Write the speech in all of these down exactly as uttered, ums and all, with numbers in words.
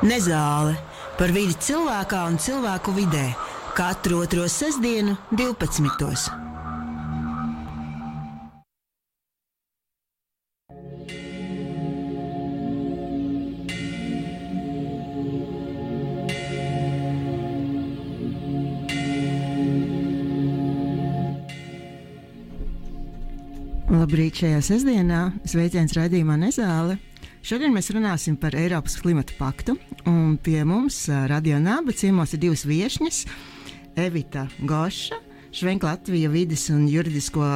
Nezāle par vidi cilvēkā un cilvēku vidē katru otro sestdienu divpadsmitos. Labrīt šajā sestdienā, sveiciens raidījumā Nezāle. Šodien mēs runāsim par Eiropas klimata paktu, un pie mums Radio Naba ciemos ir divas viešņas – Evita Goša, Švenk Latvija vides un juridisko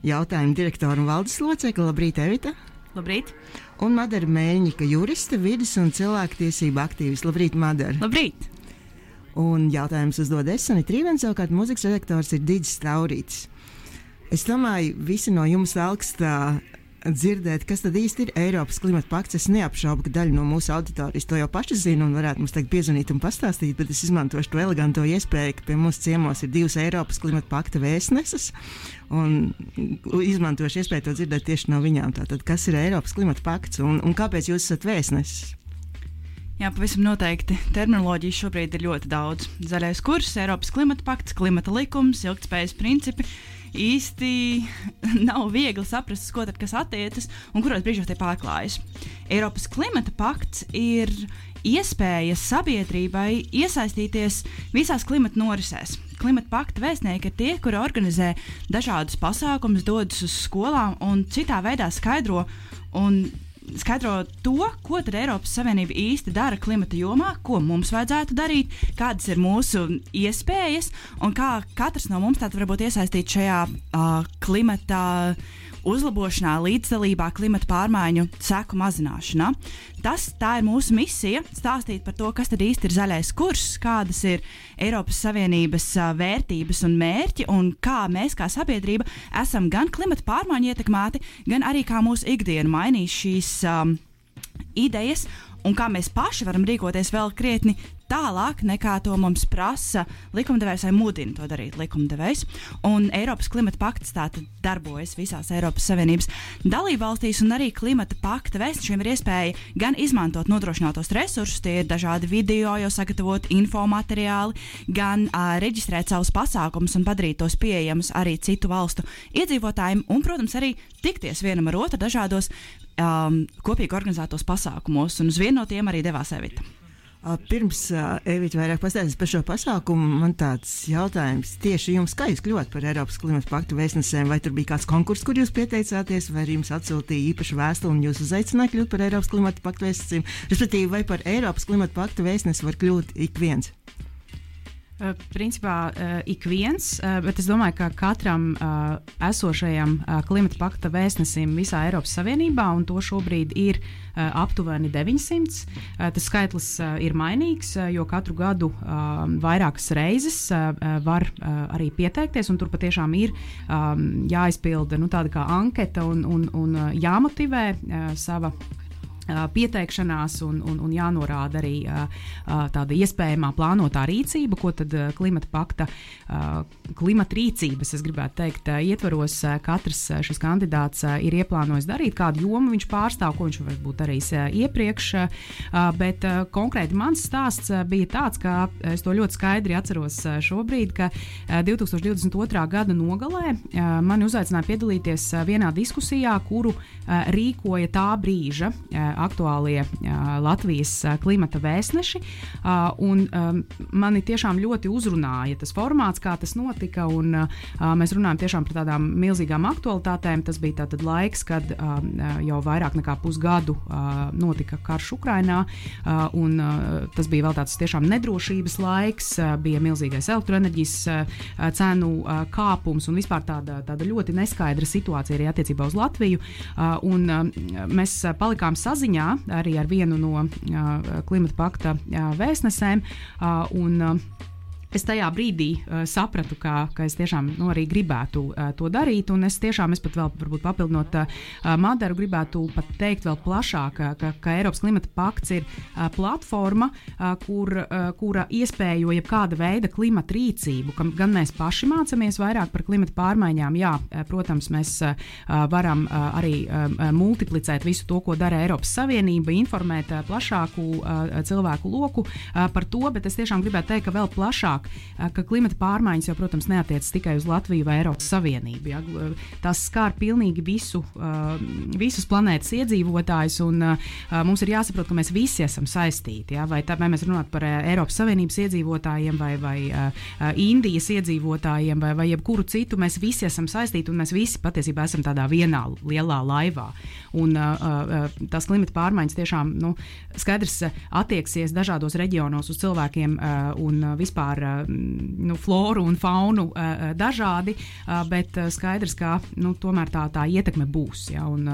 jautājumu direktora un valdes locekle. Labrīt, Evita! Labrīt! Un Madara Mēļņika, juriste, vides un cilvēktiesība aktīvis. Labrīt, Madara! Labrīt! Un jautājums uzdod es, Sanita Rīvens, savukārt mūzikas redaktors ir Digis Taurītis. Es domāju, visi no jums augstā dzirdēt, kas tad īsti ir Eiropas klimata pakts. Es neapšaubu, ka daļa no mūsu auditorijas to jau paši zina un varētu mums tagad piezvanīt un pastāstīt, bet es izmantošu to eleganto iespēju, ka pie mūsu ciemos ir divas Eiropas klimata pakta vēstneses un izmantošu iespēju to dzirdēt tieši no viņām. Tātad, kas ir Eiropas klimata pakts un, un kāpēc jūs esat vēstneses? Jā, pavisam noteikti. Terminoloģijas šobrīd ir ļoti daudz. Zaļais kurs, Eiropas klimata pakts, klimata likums, ilgtspējas principi. Īsti nav viegli saprast, ko tad kas attiecas un kuros brīžos tie pārklājas. Eiropas klimata pakts ir iespēja sabiedrībai iesaistīties visās klimata norisēs. Klimata pakta vēstnieki ir tie, kuri organizē dažādus pasākumus, dodas uz skolām un citā veidā skaidro un skaidro to, ko tad Eiropas Savienība īsti dara klimata jomā, ko mums vajadzētu darīt, kādas ir mūsu iespējas un kā katrs no mums tātad varbūt iesaistīt šajā uh, klimata uzlabošanā, līdzdalībā, klimata pārmaiņu seku mazināšanā. Tas, tā ir mūsu misija, stāstīt par to, kas tad īsti ir zaļais kurs, kādas ir Eiropas Savienības uh, vērtības un mērķi un kā mēs kā sabiedrība esam gan klimata pārmaiņu ietekmēti, gan arī kā mūsu ikdiena mainīs šīs um, idejas un kā mēs paši varam rīkoties vēl krietni tālāk nekā to mums prasa likumdevējs vai mudina to darīt likumdevējs. Un Eiropas klimata pakts tātad darbojas visās Eiropas Savienības dalībvalstīs, un arī klimata pakta vēstnešiem ir iespēja gan izmantot nodrošinātos resursus, tie ir dažādi video, jau sagatavot infomateriāli, gan uh, reģistrēt savus pasākumus un padarīt tos pieejamus arī citu valstu iedzīvotājiem, un, protams, arī tikties vienam ar otru dažādos um, kopīgi organizētos pasākumos, un uz vienu no tiem arī devās Evita. Pirms uh, Evita vairāk pastāstīs par šo pasākumu, man tāds jautājums tieši jums, kā jūs kļuvāt par Eiropas klimata paktu vēstnesēm, vai tur bija kāds konkurss, kur jūs pieteicāties, vai jums atsūtīja īpašu vēstuli un jūs uzaicināja kļūt par Eiropas klimata paktu vēstnesēm, respektīvi, vai par Eiropas klimata paktu vēstnesi var kļūt ik viens? Uh, principā uh, ik viens, uh, bet es domāju, ka katram uh, esošajam uh, klimata pakta vēstnesim visā Eiropas Savienībā, un to šobrīd ir uh, aptuveni deviņsimt. Uh, tas skaitlis uh, ir mainīgs, uh, jo katru gadu uh, vairākas reizes uh, var uh, arī pieteikties, un tur patiešām ir um, jāizpilda nu, tāda kā anketa un, un, un uh, jāmotivē uh, sava pieteikšanās un, un, un jānorāda arī uh, tāda iespējamā plānotā rīcība, ko tad uh, klimata pakta uh, klimata rīcības, es gribētu teikt, uh, ietvaros uh, katrs uh, šis kandidāts uh, ir ieplānojis darīt, kādu jomu viņš pārstāv, ko viņš varbūt darījis uh, iepriekš, uh, bet uh, konkrēti mans stāsts uh, bija tāds, ka es to ļoti skaidri atceros uh, šobrīd, ka uh, divtūkstoš divdesmit otrā gada nogalē uh, mani uzaicināja piedalīties uh, vienā diskusijā, kuru uh, rīkoja tā brīža uh, aktuālie uh, Latvijas uh, klimata vēstneši, uh, un um, mani tiešām ļoti uzrunāja tas formāts, kā tas notika, un uh, mēs runājam tiešām par tādām milzīgām aktualitātēm. Tas bija tātad laiks, kad uh, jau vairāk nekā pusgadu uh, notika karš Ukrainā, uh, un uh, tas bija vēl tāds tiešām nedrošības laiks, uh, bija milzīgais elektroenerģijas uh, cenu uh, kāpums un vispār tāda, tāda ļoti neskaidra situācija arī attiecībā uz Latviju, uh, un uh, mēs palikām saziņā arī ar vienu no uh, klimata pakta uh, vēstnesēm, uh, un uh, es tajā brīdī uh, sapratu, ka, ka es tiešām nu, arī gribētu uh, to darīt, un es tiešām, es pat vēl varbūt papildinot uh, Madaru, gribētu pat teikt vēl plašāk, ka, ka Eiropas klimata pakts ir uh, platforma, uh, kur, uh, kura iespējo jebkāda veida klimata rīcību, kam gan mēs paši mācamies vairāk par klimata pārmaiņām, jā, uh, protams, mēs uh, varam uh, arī uh, multiplicēt visu to, ko dara Eiropas Savienība, informēt uh, plašāku uh, cilvēku loku uh, par to, bet es tiešām gribētu teikt, ka vēl plašāk, ka klimata pārmaiņas jau, protams, neatiecas tikai uz Latviju vai Eiropas Savienību. Ja? Tas skar pilnīgi visu, visus planētas iedzīvotājus, un mums ir jāsaprot, ka mēs visi esam saistīti. Ja? Vai, tā, vai mēs runājam par Eiropas Savienības iedzīvotājiem, vai, vai Indijas iedzīvotājiem, vai, vai jebkuru citu, mēs visi esam saistīti, un mēs visi patiesībā esam tādā vienā lielā laivā. Un tas klimata pārmaiņas tiešām, nu, skaidrs attieksies dažādos reģionos uz cilvēkiem un vispār nu, floru un faunu uh, dažādi, uh, bet uh, skaidrs, ka nu, tomēr tā, tā ietekme būs. Ja, un,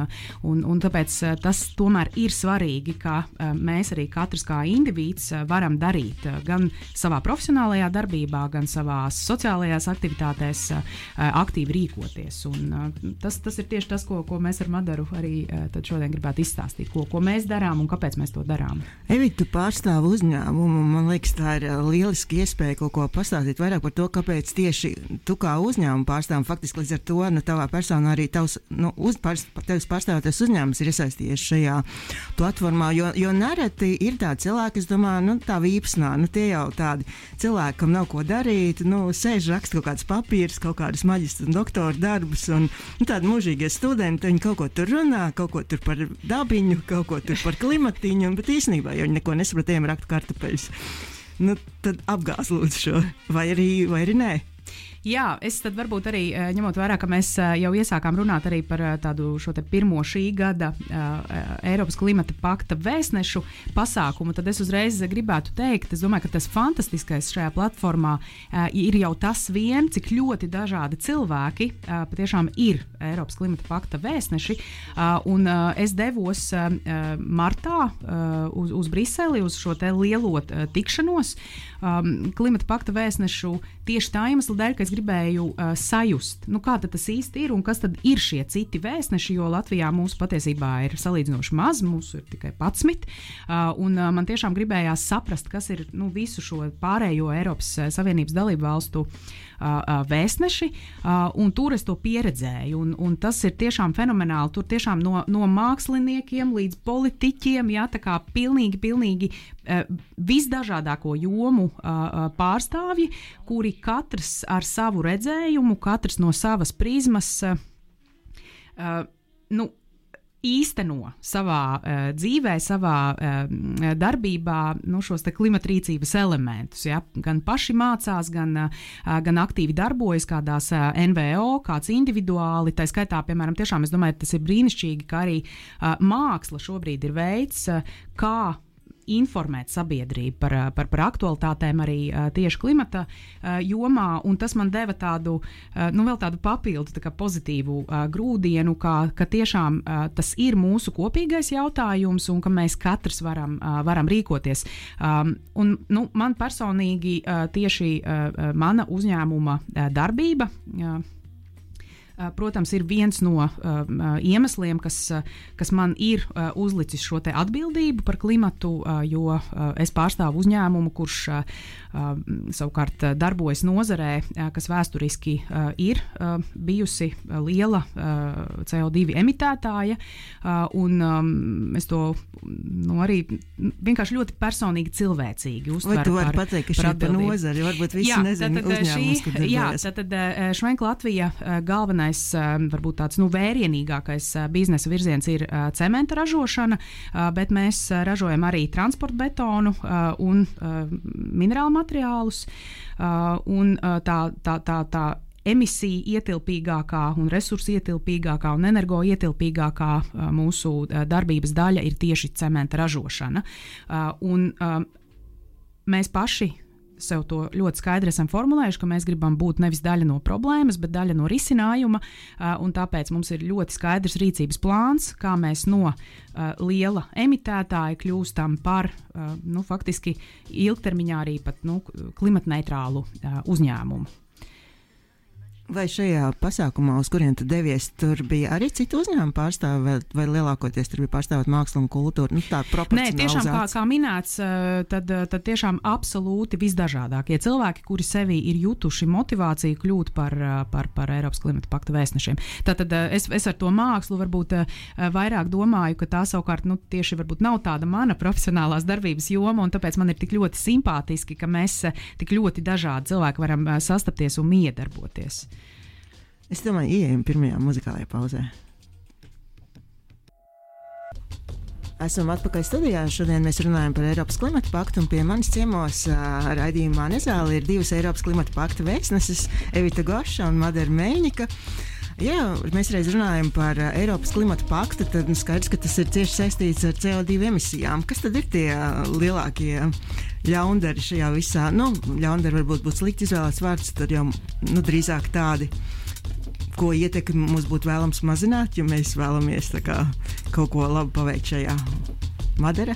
un, un tāpēc uh, tas tomēr ir svarīgi, ka uh, mēs arī katrs kā indivīds uh, varam darīt uh, gan savā profesionālajā darbībā, gan savās sociālajās aktivitātēs uh, aktīvi rīkoties. Un, uh, tas, tas ir tieši tas, ko, ko mēs ar Madaru arī uh, tad šodien gribētu izstāstīt, ko, ko mēs darām un kāpēc mēs to darām. Evita, tu pārstāvi uzņēmumu, man liekas, tā ir lieliski iespēja kaut ko pastāstīt vairāk par to, kāpēc tieši tu kā uzņēmumu pārstāvam, faktiski līdz ar to, nu, tavā personā arī tavs, nu, uz, pār, tevis pārstāvētais uzņēmums ir iesaistījies šajā platformā, jo, jo nereti ir tādi cilvēki, es domāju, nu, tā vīpsnā, nu, tie jau tādi cilvēki, kam nav ko darīt, nu, sēž raksta kaut kādas papīras, kaut kādas maģistra un doktora darbus, un, nu, tādi mūžīgie studenti, viņi kaut ko tur runā, kaut ko tur par dabiņu, kaut ko tur par klimatiņu, bet īstenībā jau viņi neko nesapratījām raktu kartupeļus. Nu, tad apgāz lūdzu šo, vai arī, vai arī nē. Jā, es tad varbūt arī ņemot vērā, ka mēs jau iesākām runāt arī par tādu šo te pirmo šī gada uh, Eiropas klimata pakta vēstnešu pasākumu, tad es uzreiz gribētu teikt, es domāju, ka tas fantastiskais šajā platformā uh, ir jau tas vien, cik ļoti dažādi cilvēki uh, patiešām ir Eiropas klimata pakta vēstneši, uh, un uh, es devos uh, martā uh, uz, uz Briseli, uz šo te lielo uh, tikšanos um, klimata pakta vēstnešu tieši tā iemesla dēļ, ka es gribēju uh, sajust, nu kā tad tas īsti ir un kas tad ir šie citi vēstneši, jo Latvijā mūsu patiesībā ir salīdzinoši maz, mūsu ir tikai padsmit, uh, un uh, man tiešām gribējās saprast, kas ir nu, visu šo pārējo Eiropas Savienības dalību valstu uh, uh, vēstneši, uh, un tur es to pieredzēju, un, un tas ir tiešām fenomenāli, tur tiešām no, no māksliniekiem līdz politiķiem, jā, tā kā pilnīgi, pilnīgi uh, visdažādāko jomu uh, pārstāvji, kuri katrs ar savu redzējumu, katrs no savas prizmas uh, uh, nu, īsteno savā uh, dzīvē, savā uh, darbībā nu, šos te klimatrīcības elementus. Ja? Gan paši mācās, gan, uh, gan aktīvi darbojas kādās uh, N V O, kāds individuāli. Tā skaitā, piemēram, tiešām es domāju, tas ir brīnišķīgi, ka arī uh, māksla šobrīd ir veids, uh, kā informēt sabiedrību par, par, par aktualitātēm arī uh, tieši klimata uh, jomā, un tas man deva tādu, uh, nu vēl tādu papildu tā kā pozitīvu uh, grūdienu, kā, ka tiešām uh, tas ir mūsu kopīgais jautājums, un ka mēs katrs varam, uh, varam rīkoties. Um, un, nu, man personīgi uh, tieši uh, mana uzņēmuma uh, darbība, uh, protams, ir viens no uh, iemesliem, kas, kas man ir uh, uzlicis šo te atbildību par klimatu, uh, jo uh, es pārstāvu uzņēmumu, kurš uh, savukārt darbojas nozarē, uh, kas vēsturiski uh, ir uh, bijusi liela uh, C O divi emitētāja, uh, un um, es to nu, arī vienkārši ļoti personīgi cilvēcīgi uztveru. Vai tu vari pateikt, ka šī pa nozari, varbūt visi jā, nezina uzņēmumus, kur darbojas? Jā, tātad Švenk Latvija galvenais varbūt tāds nu, vērienīgākais biznesa virziens ir cementa ražošana, bet mēs ražojam arī transporta betonu un minerālu materiālus. Un tā, tā, tā, tā emisija ietilpīgākā un resursu ietilpīgākā un energo ietilpīgākā mūsu darbības daļa ir tieši cementa ražošana. Un mēs paši sev to ļoti skaidri esam formulējuši, ka mēs gribam būt nevis daļa no problēmas, bet daļa no risinājuma, uh, un tāpēc mums ir ļoti skaidrs rīcības plāns, kā mēs no uh, liela emitētāja kļūstam par, uh, nu, faktiski ilgtermiņā arī pat, nu, klimatneitrālu uh, uzņēmumu. Vai šajā pasākumā, uz kuriem tu devies, tur bija arī citu uzņēmumu pārstāvi, vai, vai lielākoties tur bija pārstāvot mākslu un kultūru? Nu, tā proporcionalizācija. Nē, tiešām, kā, kā minēts, tad, tad tiešām absolūti visdažādākie cilvēki, kuri sevī ir jutuši motivāciju kļūt par, par, par Eiropas klimata pakta vēstnešiem. Tātad es, es ar to mākslu varbūt vairāk domāju, ka tā savukārt, nu, tieši varbūt nav tāda mana profesionālās darbības joma, un tāpēc man ir tik ļoti simpātiski, ka mēs tik ļoti dažādi cilvēki varam sastapties un iedarboties. Es domāju, ieejam pirmajā muzikālajā pauzē. Esam atpakaļ studijā. Šodien mēs runājam par Eiropas klimata paktu, un pie manis ciemos uh, raidījumā Nezāle ir divas Eiropas klimata pakta vēstneses, Evita Goša un Madara Meļņika. Jā, mēs reiz runājam par uh, Eiropas klimata paktu, tad nu, skaidrs, ka tas ir cieši saistīts ar C O divi emisijām. Kas tad ir tie uh, lielākie ļaundari šajā visā? Nu, ļaundari varbūt būtu slikti izvēlēts vārds, tad jau nu, drīzāk tādi, ko ietekmi mums būtu vēlams mazināt, ja mēs vēlamies tā kā, kaut ko labu paveikt šajā. Madara?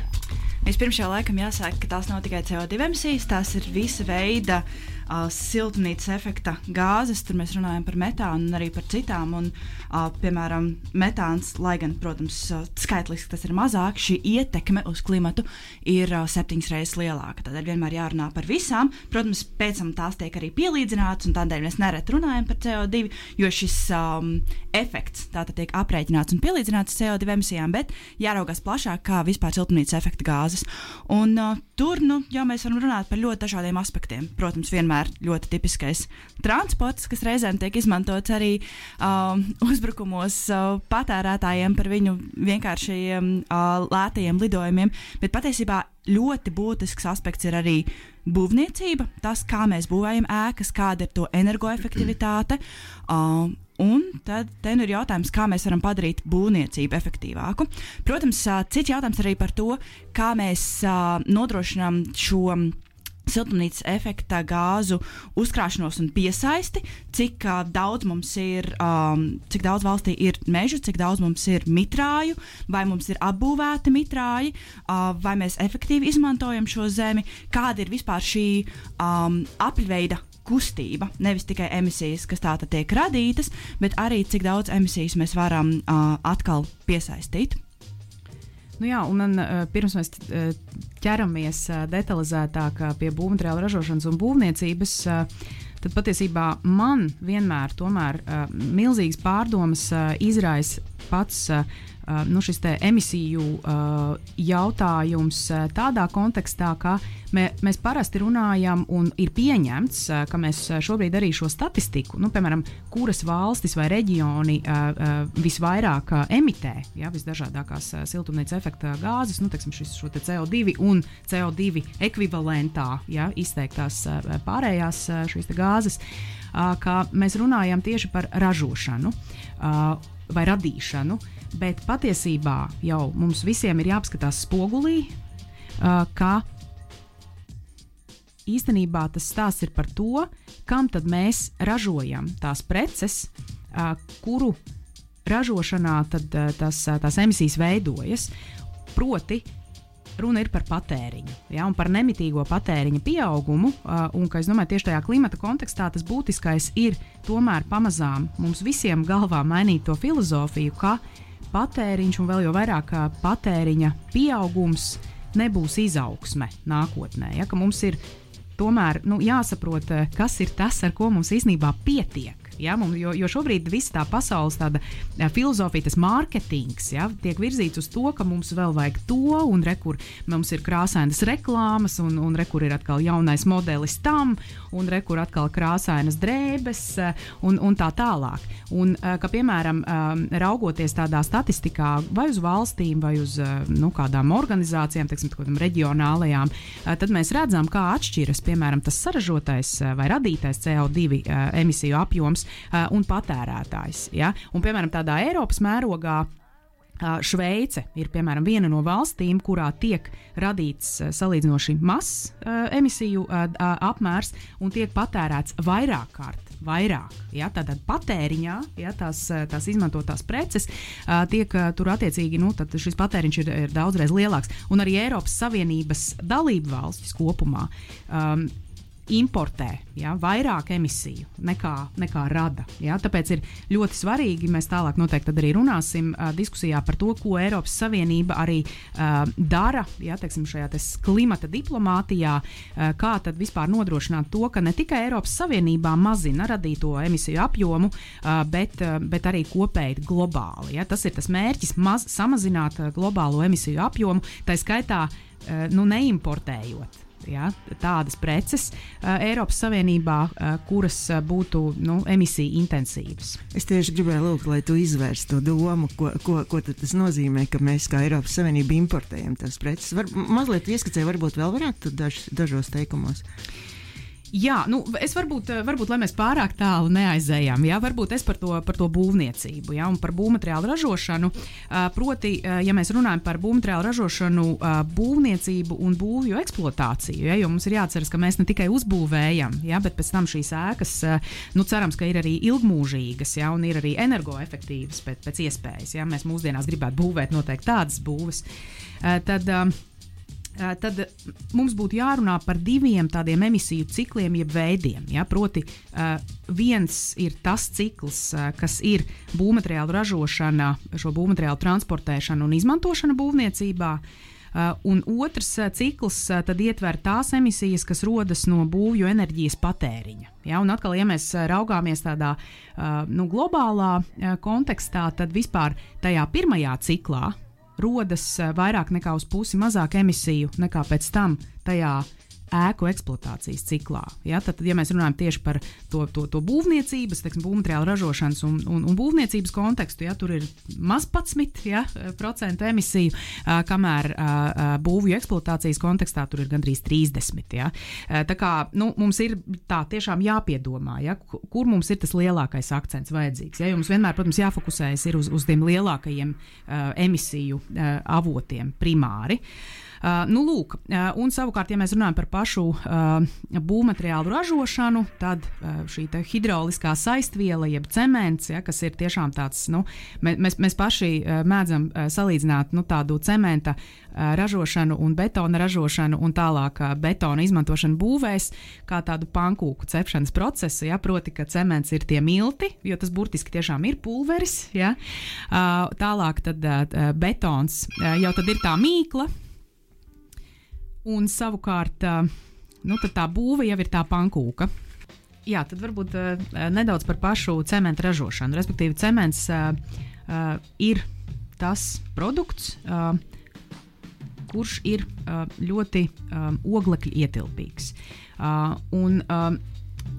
Vispirms jau laikam jāsaka, ka tās nav tikai C O divi emisijas, tās ir visa veida uh, siltumnīcas efekta gāzes. Tur mēs runājam par metānu un arī par citām. Un, uh, piemēram, metāns, lai gan, protams, uh, skaitliski tas ir mazāk, šī ietekme uz klimatu ir uh, septiņas reizes lielāka. Tādēļ vienmēr jārunā par visām. Protams, pēc tam tās tiek arī pielīdzinātas, un tādēļ mēs nereti runājam par C O divi, jo šis um, efekts tātad tiek aprēķināts un pielīdzināts C O divi emisijām, bet jāraugās plašāk, kā vispār siltumnīcas efekta gāzes. Un uh, tur, nu, jau mēs varam runāt par ļoti dažādiem aspektiem. Protams, vienmēr ļoti tipiskais transports, kas reizēm tiek izmantots arī uh, uzbrukumos uh, patērētājiem par viņu vienkāršajiem uh, lētajiem lidojumiem, bet patiesībā ļoti būtisks aspekts ir arī būvniecība, tas, kā mēs būvējam ēkas, kāda ir to energoefektivitāte. Uh, Un tad te nu ir jautājums, kā mēs varam padarīt būvniecību efektīvāku. Protams, cits jautājums arī par to, kā mēs nodrošinām šo siltumnīcas efekta gāzu uzkrāšanos un piesaisti, cik uh, daudz mums ir, um, cik daudz valstī ir mežu, cik daudz mums ir mitrāju, vai mums ir apbūvēti mitrāji, uh, vai mēs efektīvi izmantojam šo zemi, kāda ir vispār šī um, apļveida kustība, nevis tikai emisijas, kas tātad tiek radītas, bet arī cik daudz emisijas mēs varam uh, atkal piesaistīt. Nu jā, un man, pirms mēs ķeramies detalizētāk pie būvmateriālu ražošanas un būvniecības, tad patiesībā man vienmēr tomēr milzīgas pārdomas izraisa pats nu, šis te emisiju jautājums tādā kontekstā, ka mē, mēs parasti runājam un ir pieņemts, ka mēs šobrīd arī šo statistiku, nu, piemēram, kuras valstis vai reģioni visvairāk emitē, ja, visdažādākās siltumnīcas efekta gāzes, nu, teiksim, šis, šo te C O divi un C O divi ekvivalentā, ja, izteiktās pārējās šīs te gāzes, ka mēs runājam tieši par ražošanu vai radīšanu, bet patiesībā jau mums visiem ir jāapskatās spogulī, uh, ka īstenībā tas stāsts ir par to, kam tad mēs ražojam tās preces, uh, kuru ražošanā tad, uh, tas, uh, tās emisijas veidojas. Proti, runa ir par patēriņu, ja, un par nemitīgo patēriņa pieaugumu, uh, un, ka es domāju, tieši tajā klimata kontekstā tas būtiskais ir tomēr pamazām mums visiem galvā mainīt to filozofiju, ka patēriņš un vēl jau vairāk patēriņa pieaugums nebūs izaugsme nākotnē, ja, ka mums ir tomēr nu, jāsaprot, kas ir tas, ar ko mums īstenībā pietiek. Ja, mums, jo, jo šobrīd visa tā pasaules tāda ja, filozofija, tas mārketings, ja, tiek virzīts uz to, ka mums vēl vajag to, un re, kur mums ir krāsainas reklāmas, un, un re, kur ir atkal jaunais modelis tam, un re, kur atkal krāsainas drēbes, un, un tā tālāk. Un, ka, piemēram, raugoties tādā statistikā vai uz valstīm, vai uz nu, kādām organizācijām, teiksim, kādām reģionālajām, tad mēs redzam, kā atšķiras, piemēram, tas saražotais vai radītais C O divi emisiju apjoms un patērētājs. Ja? Un, piemēram, tādā Eiropas mērogā Šveice ir, piemēram, viena no valstīm, kurā tiek radīts salīdzinoši mazs emisiju apmērs un tiek patērēts vairāk kārt, vairāk. Ja, tātad patēriņā, ja, tās, tās izmantotās preces, tiek tur attiecīgi, nu, tad šis patēriņš ir, ir daudzreiz lielāks. Un arī Eiropas Savienības dalību valstis kopumā um, importē, ja, vairāk emisiju nekā, nekā rada. Ja, tāpēc ir ļoti svarīgi, mēs tālāk noteikti arī runāsim uh, diskusijā par to, ko Eiropas Savienība arī uh, dara, ja, teiksim, šajā tes klimata diplomātijā, uh, kā tad vispār nodrošināt to, ka ne tikai Eiropas Savienībā mazina radīto emisiju apjomu, uh, bet, uh, bet arī kopēji globāli. Ja. Tas ir tas mērķis, maz, samazināt uh, globālo emisiju apjomu, tā skaitā uh, nu, neimportējot. Ja, tādas preces uh, Eiropas Savienībā, uh, kuras uh, būtu nu, emisiju intensīvas. Es tieši gribēju lūgt, lai tu izvērstu to domu, ko, ko, ko tas nozīmē, ka mēs kā Eiropas Savienība importējam tās preces. Var, mazliet ieskicē, varbūt vēl varētu daž, dažos teikumos. Jā, nu, es varbūt, varbūt, lai mēs pārāk tālu neaizējām, jā, varbūt es par to, par to būvniecību, jā, un par būvmateriālu ražošanu, proti, ja mēs runājam par būvmateriālu ražošanu, būvniecību un būvju eksploatāciju, jā, jo mums ir jāatceras, ka mēs ne tikai uzbūvējam, jā, bet pēc tam šīs ēkas, nu, cerams, ka ir arī ilgmūžīgas, jā, un ir arī energoefektīvas pēc, pēc iespējas, jā, mēs mūsdienās gribētu būvēt noteikti tādas būves, tad tad mums būtu jārunā par diviem tādiem emisiju cikliem, jeb veidiem. Ja? Proti, uh, viens ir tas cikls, uh, kas ir būvmateriālu ražošana, šo būvmateriālu transportēšana un izmantošana būvniecībā, uh, un otrs uh, cikls uh, tad ietver tās emisijas, kas rodas no būvju enerģijas patēriņa. Ja? Un atkal, ja mēs uh, raugāmies tādā uh, nu, globālā uh, kontekstā, tad vispār tajā pirmajā ciklā rodas vairāk nekā uz pusi mazāk emisiju nekā pēc tam tajā ēku eksploatācijas ciklā. Ja? Tad, ja mēs runājam tieši par to, to, to būvniecības, teiksim, būvmateriālu ražošanas un, un, un būvniecības kontekstu, ja? Tur ir maz padsmit ja? procentu emisiju, uh, kamēr uh, būvju eksploatācijas kontekstā tur ir gandrīz trīsdesmit. Ja? Uh, tā kā nu, mums ir tā tiešām jāpiedomā, ja? Kur mums ir tas lielākais akcents vajadzīgs. Ja? Jo mums vienmēr, protams, jāfokusējas ir uz, uz tiem lielākajiem uh, emisiju uh, avotiem primāri. Uh, nu, lūk, uh, un savukārt, ja mēs runājam par pašu uh, būvmateriālu ražošanu, tad uh, šī hidrauliskā saistviela, jeb cements, ja, kas ir tiešām tāds, nu, mēs, mēs paši uh, mēdzam uh, salīdzināt nu, tādu cementa uh, ražošanu un betona ražošanu un tālāk uh, betona izmantošanu būvēs, kā tādu pankūku cepšanas procesu, ja, proti, ka cements ir tie milti, jo tas burtiski tiešām ir pulveris, ja, uh, tālāk tad uh, betons uh, jau tad ir tā mīkla, un savukārt, nu, tad tā būve jau ir tā pankūka. Jā, tad varbūt uh, nedaudz par pašu cementa ražošanu. Respektīvi, cements uh, uh, ir tas produkts, uh, kurš ir uh, ļoti um, oglekļa ietilpīgs. Uh, un uh,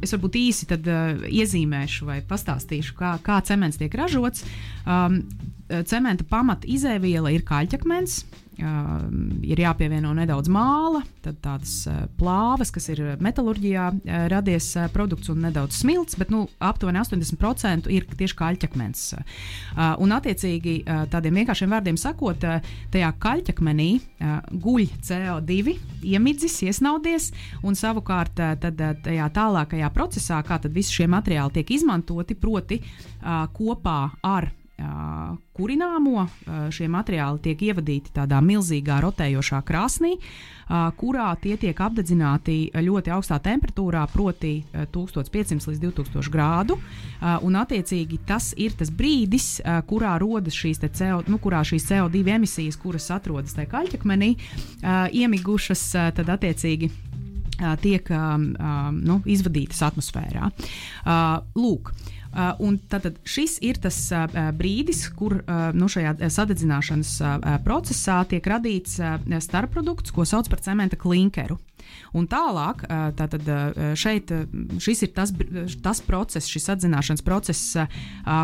es varbūt īsi tad uh, iezīmēšu vai pastāstīšu, kā, kā cements tiek ražots. Um, cementa pamata izēviela ir kaļķakmens. Uh, ir jāpievieno nedaudz māla, tad tādas uh, plāvas, kas ir metalurģijā uh, radies uh, produkts un nedaudz smilts, bet nu, aptuveni astoņdesmit procenti ir tieši kaļķakmens. Uh, un attiecīgi uh, tādiem vienkāršiem vārdiem sakot, uh, tajā kaļķakmenī uh, guļ C O divi, iemidzis, iesnaudies, un savukārt uh, tad, uh, tajā tālākajā procesā, kā tad visi šie materiāli tiek izmantoti, proti uh, kopā ar Uh, kurināmo, uh, šie materiāli tiek ievadīti tādā milzīgā rotējošā krāsnī, uh, kurā tie tiek apdedzināti ļoti augstā temperatūrā, proti uh, tūkstoš piecsimt līdz divtūkstoši grādu, uh, un attiecīgi tas ir tas brīdis, uh, kurā rodas šīs te CO, nu, kurā šīs C O divi emisijas, kuras atrodas tajā kaļķakmenī, uh, iemigušas, uh, tad attiecīgi uh, tiek um, um, nu, izvadītas atmosfērā. Uh, lūk, Uh, un tātad šis ir tas uh, brīdis, kur uh, nu, šajā sadedzināšanas uh, procesā tiek radīts uh, starpprodukts, ko sauc par cementa klinkeru. Un tālāk, uh, tātad uh, šeit uh, šis ir tas, tas process, šis sadzināšanas process, uh,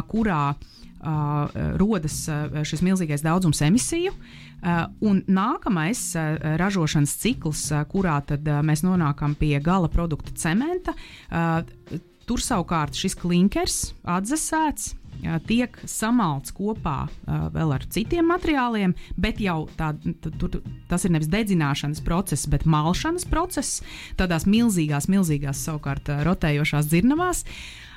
kurā uh, rodas uh, šis milzīgais daudzums emisiju. Uh, un nākamais uh, ražošanas cikls, uh, kurā tad uh, mēs nonākam pie gala produkta cementa, uh, tur savukārt šis klinkers atdzesēts, tiek samalts kopā vēl ar citiem materiāliem, bet jau tā, tu, tu, tas ir nevis dedzināšanas process, bet malšanas process, tādās milzīgās, milzīgās savukārt rotējošās dzirnavās,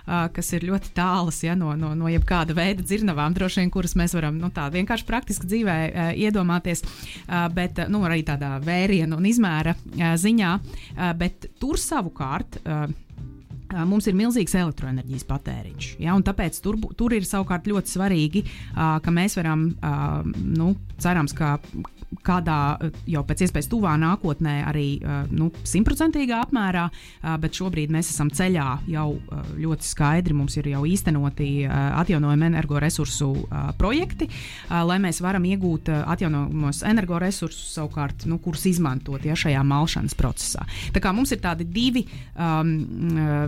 kas ir ļoti tālas ja, no, no, no jebkāda veida dzirnavām, droši vien, kuras mēs varam nu, tā vienkārši praktiski dzīvē uh, iedomāties, uh, bet uh, nu, arī tādā vērienu un izmēra uh, ziņā, uh, bet tur savukārt uh, uh, mums ir milzīgs elektroenerģijas patēriņš. Ja, un tāpēc tur, tur ir savukārt ļoti svarīgi, uh, ka mēs varam, uh, nu, cerams, ka kādā jau pēc iespējas tuvā nākotnē arī nu, simtprocentīgā apmērā, bet šobrīd mēs esam ceļā jau ļoti skaidri, mums ir jau īstenoti atjaunojami energoresursu projekti, lai mēs varam iegūt atjaunojamos energoresursus savukārt, nu, kurus izmantot ja, šajā malšanas procesā. Tā kā mums ir tādi divi um,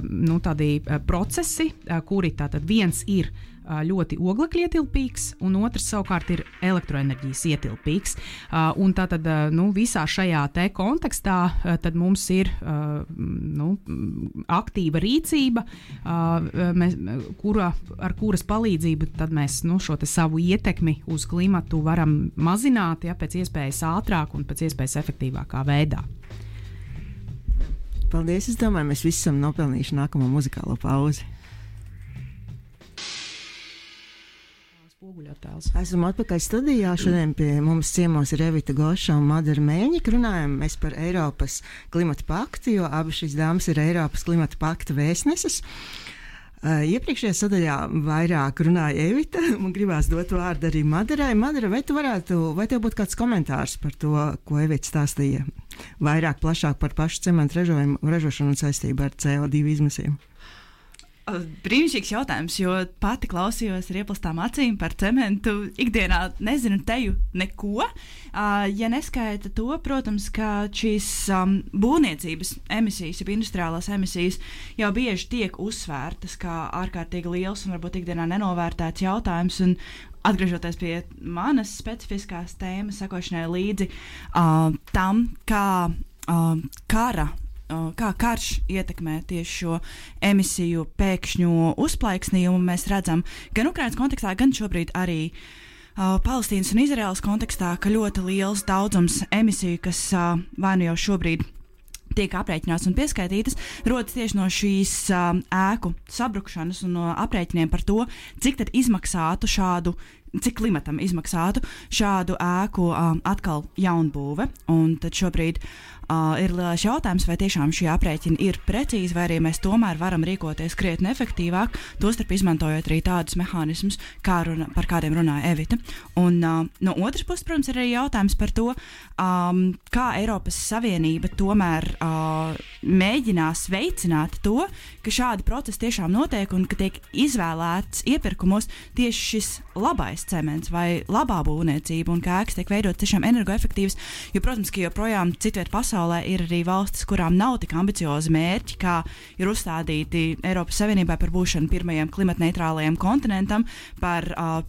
nu, tādi procesi, kuri tātad viens ir ļoti oglekļa ietilpīgs, un otrs savukārt ir elektroenerģijas ietilpīgs. Uh, un tātad uh, nu, visā šajā te kontekstā uh, tad mums ir uh, nu, aktīva rīcība, uh, mēs, kura, ar kuras palīdzību tad mēs nu, šo te savu ietekmi uz klimatu varam mazināt ja, pēc iespējas ātrāk un pēc iespējas efektīvākā veidā. Paldies, es domāju, mēs visi esam nopelnījuši nākamo muzikālo pauzi. Esam atpakaļ studijā. Šodien pie mums ciemos ir Evita Goša un Madara Mēņika. Runājam mēs par Eiropas klimata paktu, jo abas šīs dāmas ir Eiropas klimata pakta vēstneses. Uh, iepriekšējā sadaļā vairāk runāja Evita, man gribās dot vārdu arī Madarai. Madara, vai tu varētu, vai tev būtu kāds komentārs par to, ko Evita stāstīja vairāk, plašāk par pašu cementu ražošanu un saistību ar C O divi izmesiem? Brīnišķīgs jautājums, jo pati klausījos ar ieplastām acīm par cementu. Ikdienā nezinu teju neko. Uh, ja neskaita to, protams, ka šīs um, būvniecības emisijas, ja industriālās emisijas jau bieži tiek uzsvērtas kā ārkārtīgi liels un varbūt ikdienā nenovērtēts jautājums. Un atgriežoties pie manas specifiskās tēmas, sakošanai līdzi uh, tam, kā uh, kara kā karš ietekmē tieši šo emisiju pēkšņu uzplaiksnījumu, mēs redzam gan Ukrainas kontekstā, gan šobrīd arī uh, Palestīnas un Izraēlas kontekstā, ka ļoti liels daudzums emisiju, kas uh, vai nu jau šobrīd tiek aprēķināts un pieskaitītas, rodas tieši no šīs uh, ēku sabrukšanas un no aprēķiniem par to, cik tad izmaksātu šādu cik klimatam izmaksātu šādu ēku um, atkal jaunbūve. Un tad šobrīd uh, ir lielais jautājums, vai tiešām šie aprēķini ir precīzi, vai arī mēs tomēr varam rīkoties krietni efektīvāk, tostarp izmantojot arī tādus mehānismus, kā runa, par kādiem runāja Evita. Un uh, no otras puses, protams, ir arī jautājums par to, um, kā Eiropas Savienība tomēr uh, mēģinās veicināt to, ka šādi procesi tiešām notiek un ka tiek izvēlēts iepirkumos tieši šis labais cements vai labā būvniecība un kā ēkas tiek veidot tiešām energoefektīvas, jo, protams, ka joprojām citviet pasaulē ir arī valstis, kurām nav tik ambiciozi mērķi, kā ir uzstādīti Eiropas Savienībai par būšanu pirmajam klimatneitrālajam kontinentam, par uh,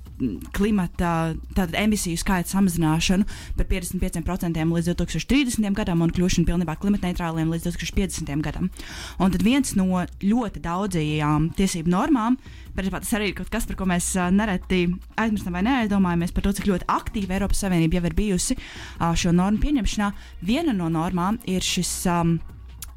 klimata tātad emisiju skaita samazināšanu par piecdesmit pieciem procentiem līdz divtūkstoš trīsdesmitajam gadam un kļūšanu pilnībā klimatneitrāliem līdz divtūkstoš piecdesmitajam gadam. Un tad viens no ļoti daudzajām tiesību normām, principā tas arī ir kaut kas, par ko mēs uh, nereti aizmirstam vai neaizdomājamies par to, cik ļoti aktīva Eiropas Savienība jau ir bijusi uh, šo normu pieņemšanā. Viena no normām ir šis um,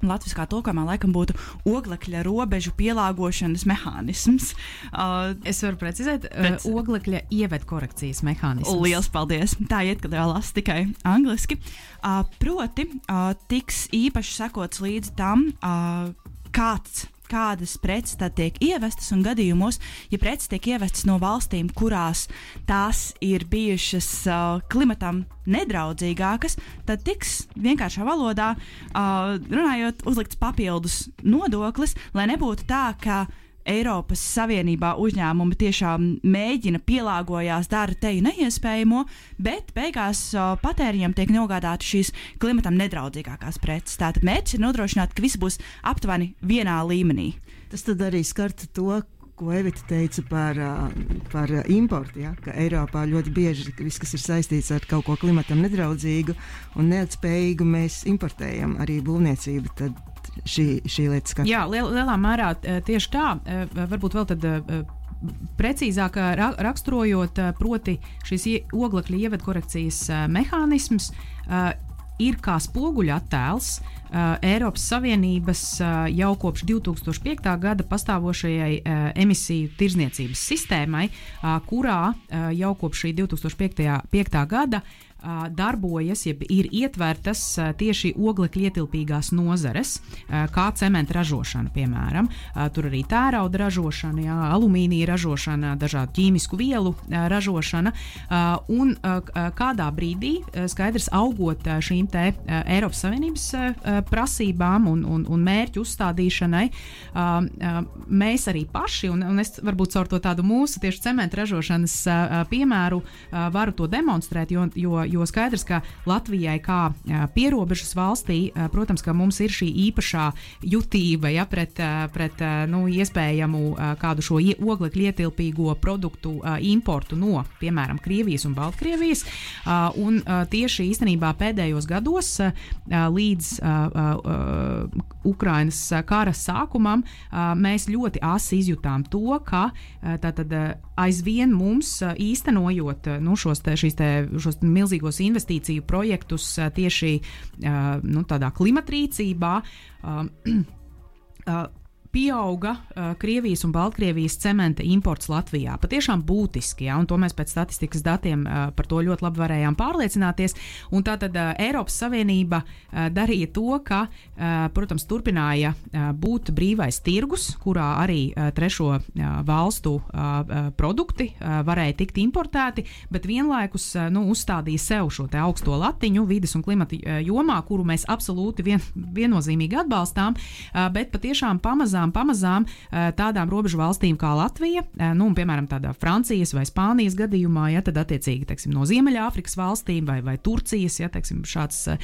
latviskā tulkojumā laikam būtu oglekļa robežu pielāgošanas mehānisms. Uh, es varu precizēt, pēc... uh, oglekļa ievedkorekcijas mehānisms. Liels paldies! Tā iet, kad vēl lasu tikai angliski. Uh, proti, uh, tiks īpaši sekots līdz tam, uh, kāds kādas preces tad tiek ievestas un gadījumos, ja preces tiek ievestas no valstīm, kurās tās ir bijušas uh, klimatam nedraudzīgākas, tad tiks vienkāršā valodā uh, runājot uzlikts papildus nodoklis, lai nebūtu tā, ka Eiropas Savienībā uzņēmumi tiešām mēģina pielāgojās, dara teju neiespējamo, bet beigās uh, patēriņam tiek nogādāti šīs klimatam nedraudzīgākās preces. Tātad mērķis ir nodrošināt, ka viss būs aptuveni vienā līmenī. Tas tad arī skartu to, ko Evita teica par, par importu, ja? Ka Eiropā ļoti bieži viss, kas ir saistīts ar kaut ko klimatam nedraudzīgu un neilgtspējīgu, mēs importējam arī būvniecību. Tad šī, šī lieta skar. Jā, liel, lielā mērā tieši tā. Varbūt vēl tad precīzāk ra raksturojot, proti šis oglekļa ievedkorekcijas mehānisms ir kā spoguļattēls uh, Eiropas Savienības uh, jau kopš divi tūkstoši piektā gada pastāvošajai uh, emisiju tirdzniecības sistēmai, uh, kurā uh, jau kopš šī divi tūkstoši piektā gada uh, darbojas, jeb ir ietvertas uh, tieši oglekļa ietilpīgās nozares, uh, kā cementa ražošana, piemēram. Uh, tur arī tērauda ražošana, jā, alumīnija ražošana, dažādu ķīmisku vielu uh, ražošana. Uh, un uh, kādā brīdī, uh, skaidrs augot uh, šīm te uh, Eiropas Savienības uh, prasībām un, un, un mērķu uzstādīšanai, uh, uh, mēs arī paši, un, un es varbūt caur to tādu mūsu tieši cementa ražošanas uh, piemēru uh, varu to demonstrēt, jo, jo, jo skaidrs, ka Latvijai kā uh, pierobežas valstī, uh, protams, ka mums ir šī īpašā jutība, ja, pret, uh, pret uh, nu, iespējamu uh, kādu šo oglekļa ietilpīgo produktu uh, importu no, piemēram, Krievijas un Baltkrievijas, uh, un uh, tieši īstenībā pēdējos gados gados līdz uh, uh, Ukrainas kara sākumam uh, mēs ļoti asi izjutām to, ka uh, tātad uh, aizvien mums uh, īstenojot uh, nu, šos, te, šīs te, šos milzīgos investīciju projektus uh, tieši uh, nu, tādā klimatrīcībā uh, uh, pieauga uh, Krievijas un Baltkrievijas cementa imports Latvijā. Patiešām būtiski, ja, un to mēs pēc statistikas datiem uh, par to ļoti labi varējām pārliecināties. Un tātad uh, Eiropas Savienība uh, darīja to, ka, uh, protams, turpināja uh, būt brīvais tirgus, kurā arī uh, trešo uh, valstu uh, produkti uh, varēja tikt importēti, bet vienlaikus uh, nu, uzstādīja sev šo te augsto latiņu vides un klimata uh, jomā, kuru mēs absolūti vien, viennozīmīgi atbalstām, uh, bet patiešām pamazām pamazām tādām robežu valstīm kā Latvija, nu, un, piemēram, tādā Francijas vai Spānijas gadījumā, ja, tad attiecīgi, teiksim, no Ziemeļāfrikas valstīm vai, vai Turcijas, ja, teiksim, šāds uh,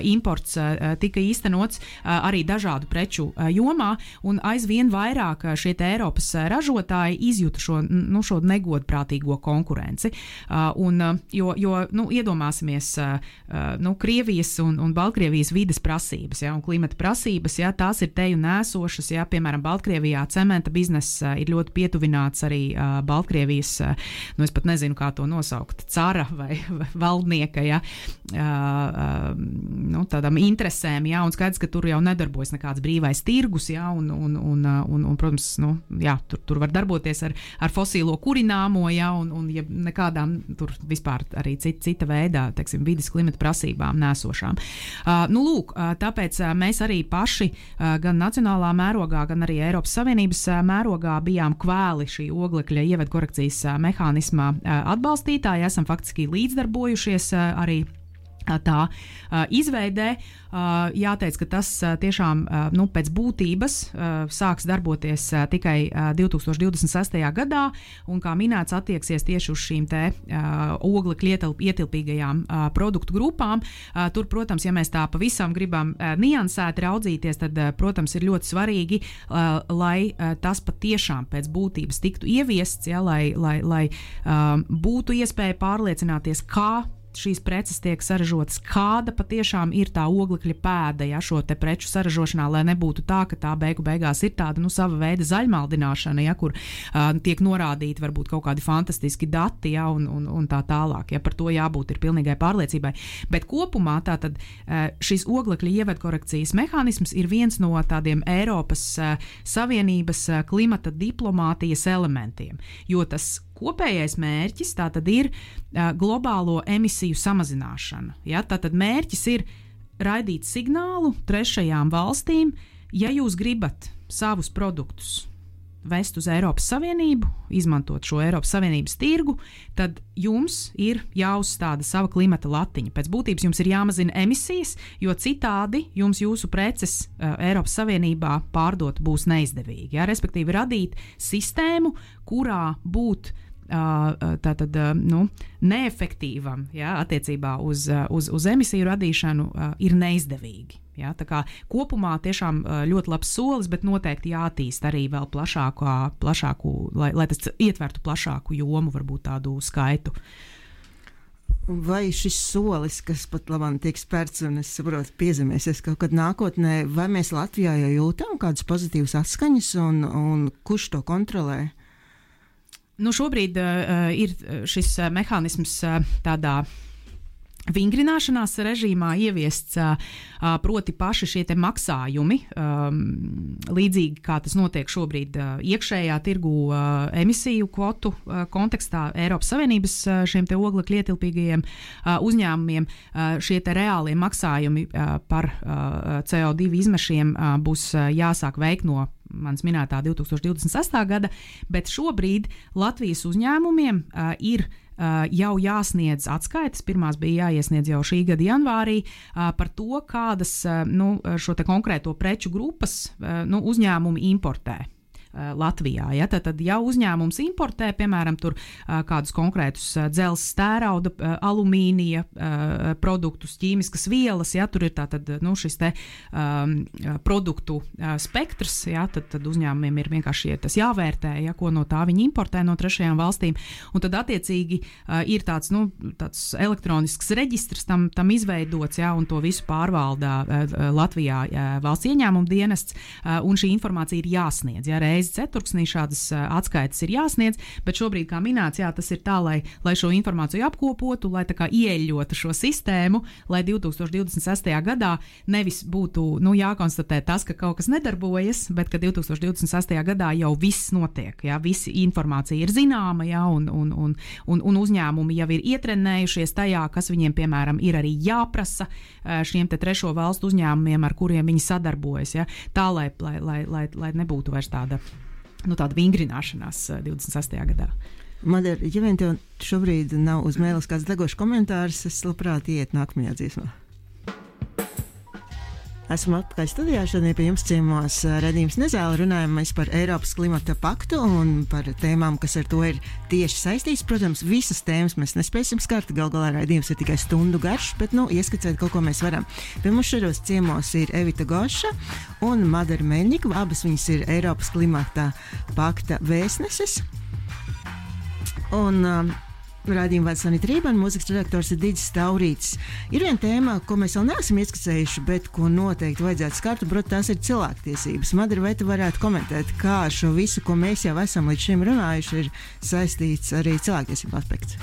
imports uh, tika īstenots uh, arī dažādu preču uh, jomā, un aizvien vairāk šie te Eiropas ražotāji izjuta šo, nu, šo negodprātīgo konkurenci. Uh, un, uh, jo, jo, nu, iedomāsimies, uh, uh, nu, Krievijas un, un Baltkrievijas vides prasības, ja, un klimata prasības, ja, tās ir teju nēsošas, ja, piemēram, Baltkrievijā cementa bizness uh, ir ļoti pietuvināts arī uh, Baltkrievijas, uh, nu es pat nezinu, kā to nosaukt, cara vai, vai valdnieka, ja, uh, uh, nu, tādām interesēm, ja, un skaidrs, ka tur jau nedarbojas nekāds brīvais tirgus, ja, un, un, un, un, un protams, nu, jā, tur, tur var darboties ar, ar fosīlo kurināmo, ja, un, un ja nekādām tur vispār arī cita, cita veidā, teiksim, vides klimata prasībām nēsošām. Uh, nu, lūk, uh, tāpēc uh, mēs arī paši uh, gan nacionālā mērogā, gan arī Eiropas Savienības mērogā bijām kvēli šī oglekļa ievedkorekcijas mehānismā atbalstītāji, esam faktiski līdzdarbojušies arī tā uh, izveidē. Uh, jāteic, ka tas uh, tiešām uh, nu, pēc būtības uh, sāks darboties uh, tikai uh, divi tūkstoši divdesmit sestajā gadā, un, kā minēts, attieksies tieši uz šīm te uh, oglekļa ietilpīgajām uh, produktu grupām. Uh, tur, protams, ja mēs tā pavisam gribam uh, niansēti raudzīties, tad, uh, protams, ir ļoti svarīgi, uh, lai uh, tas patiešām pēc būtības tiktu ieviests, ja, lai, lai, lai uh, būtu iespēja pārliecināties, kā šīs preces tiek saražotas, kāda patiešām ir tā oglekļa pēda, ja, šo te preču saražošanā, lai nebūtu tā, ka tā beigu beigās ir tāda, nu, sava veida zaļmaldināšana, ja, kur uh, tiek norādīti varbūt kaut kādi fantastiski dati, ja, un, un, un tā tālāk, ja, par to jābūt ir pilnīgai pārliecībai. Bet kopumā tātad uh, šis oglekļa ievedkorekcijas mehānisms ir viens no tādiem Eiropas uh, Savienības uh, klimata diplomātijas elementiem, jo tas kopējais mērķis tātad ir uh, globālo emisiju samazināšana. Ja? Tātad mērķis ir raidīt signālu trešajām valstīm, ja jūs gribat savus produktus vest uz Eiropas Savienību, izmantot šo Eiropas Savienības tirgu, tad jums ir jāuzstāda sava klimata latiņa. Pēc būtības jums ir jāmazina emisijas, jo citādi jums jūsu preces uh, Eiropas Savienībā pārdot būs neizdevīgi. Ja? Respektīvi radīt sistēmu, kurā būt tātad, nu, neefektīvam, ja, attiecībā uz, uz, uz emisiju radīšanu ir neizdevīgi. Ja, tā kā kopumā tiešām ļoti labs solis, bet noteikti jātīst arī vēl plašāku, plašāku lai, lai tas ietvertu plašāku jomu, varbūt tādu skaitu. Vai šis solis, kas pat labāk tiek spērts un es saprotu piezemēsies kaut kad nākotnē, vai mēs Latvijā jau jūtam kādus pozitīvus atskaņas un, un kurš to kontrolē? Nu, šobrīd uh, ir šis uh, mehānisms uh, tādā vingrināšanās režīmā ieviests, proti paši šie te maksājumi, līdzīgi kā tas notiek šobrīd iekšējā tirgu emisiju kvotu kontekstā Eiropas Savienības šiem te oglekļa ietilpīgajiem uzņēmumiem. Šie te reālie maksājumi par C O divi izmešiem būs jāsāk veikt no manis minētā divtūkstoš divdesmit sestā gada, bet šobrīd Latvijas uzņēmumiem ir Uh, jau jāsniedz atskaites, pirmās bija jāiesniedz jau šī gada janvārī, uh, par to, kādas uh, nu, šo te konkrēto preču grupas uh, nu, uzņēmumi importē Latvijā. Ja? Tad, tad jau uzņēmums importē, piemēram, tur uh, kādus konkrētus uh, dzelzs, tērauda, uh, alumīnija uh, produktus, ķīmiskas vielas, ja? Tur ir tātad nu, šis te um, produktu uh, spektrs, ja? tad, tad uzņēmumiem ir vienkārši tas jāvērtē, ja? Ko no tā viņi importē no trešajām valstīm, un tad attiecīgi uh, ir tāds, nu, tāds elektronisks reģistrs tam, tam izveidots, ja? Un to visu pārvaldā uh, Latvijā uh, valsts ieņēmuma dienests, uh, un šī informācija ir jāsniedz, ja? Reiz ceturksnī šādas atskaites ir jāsniedz, bet šobrīd, kā minēts, jā, tas ir tā, lai, lai šo informāciju apkopotu, lai tā kā ieļotu šo sistēmu, lai divtūkstoš divdesmit sestajā gadā nevis būtu, nu, jākonstatē tas, ka kaut kas nedarbojas, bet ka divtūkstoš divdesmit sestajā gadā jau viss notiek, jā, visi informācija ir zināma, jā, un, un, un, un, un uzņēmumi jau ir ietrenējušies tajā, kas viņiem, piemēram, ir arī jāprasa šiem te trešo valstu uzņēmumiem, ar kuriem viņi sadarbojas, jā, tā, lai, lai, lai, lai, lai nebūtu vairs tāda nu, tāda vingrināšanās divdesmit sestajā gadā. Madara, ja vien tev šobrīd nav uz mēles kāds degošs komentārs, es labprāt iet nākamajā dziesmā. Esmu atpakaļ studijā, šodien pie jums ciemos redzījums Nezāle, runājam mēs par Eiropas klimata paktu un par tēmām, kas ar to ir tieši saistīts. Protams, visas tēmas mēs nespēsim skart, gal galā redzījums ir tikai stundu garš, bet, nu, ieskicēt kaut ko mēs varam. Pie mums šajos ciemos ir Evita Goša un Madara Meļņika, abas viņas ir Eiropas klimata pakta vēstneses. Un um, raidījuma vada Sanita Rībana, mūzikas redaktors ir Digis Taurītis. Ir viena tēma, ko mēs vēl neesam ieskicējuši, bet ko noteikti vajadzētu skart, un, protams, tās ir cilvēktiesības. Madara, vai tu varētu komentēt, kā ar šo visu, ko mēs jau esam līdz šim runājuši, ir saistīts arī cilvēktiesību aspekts?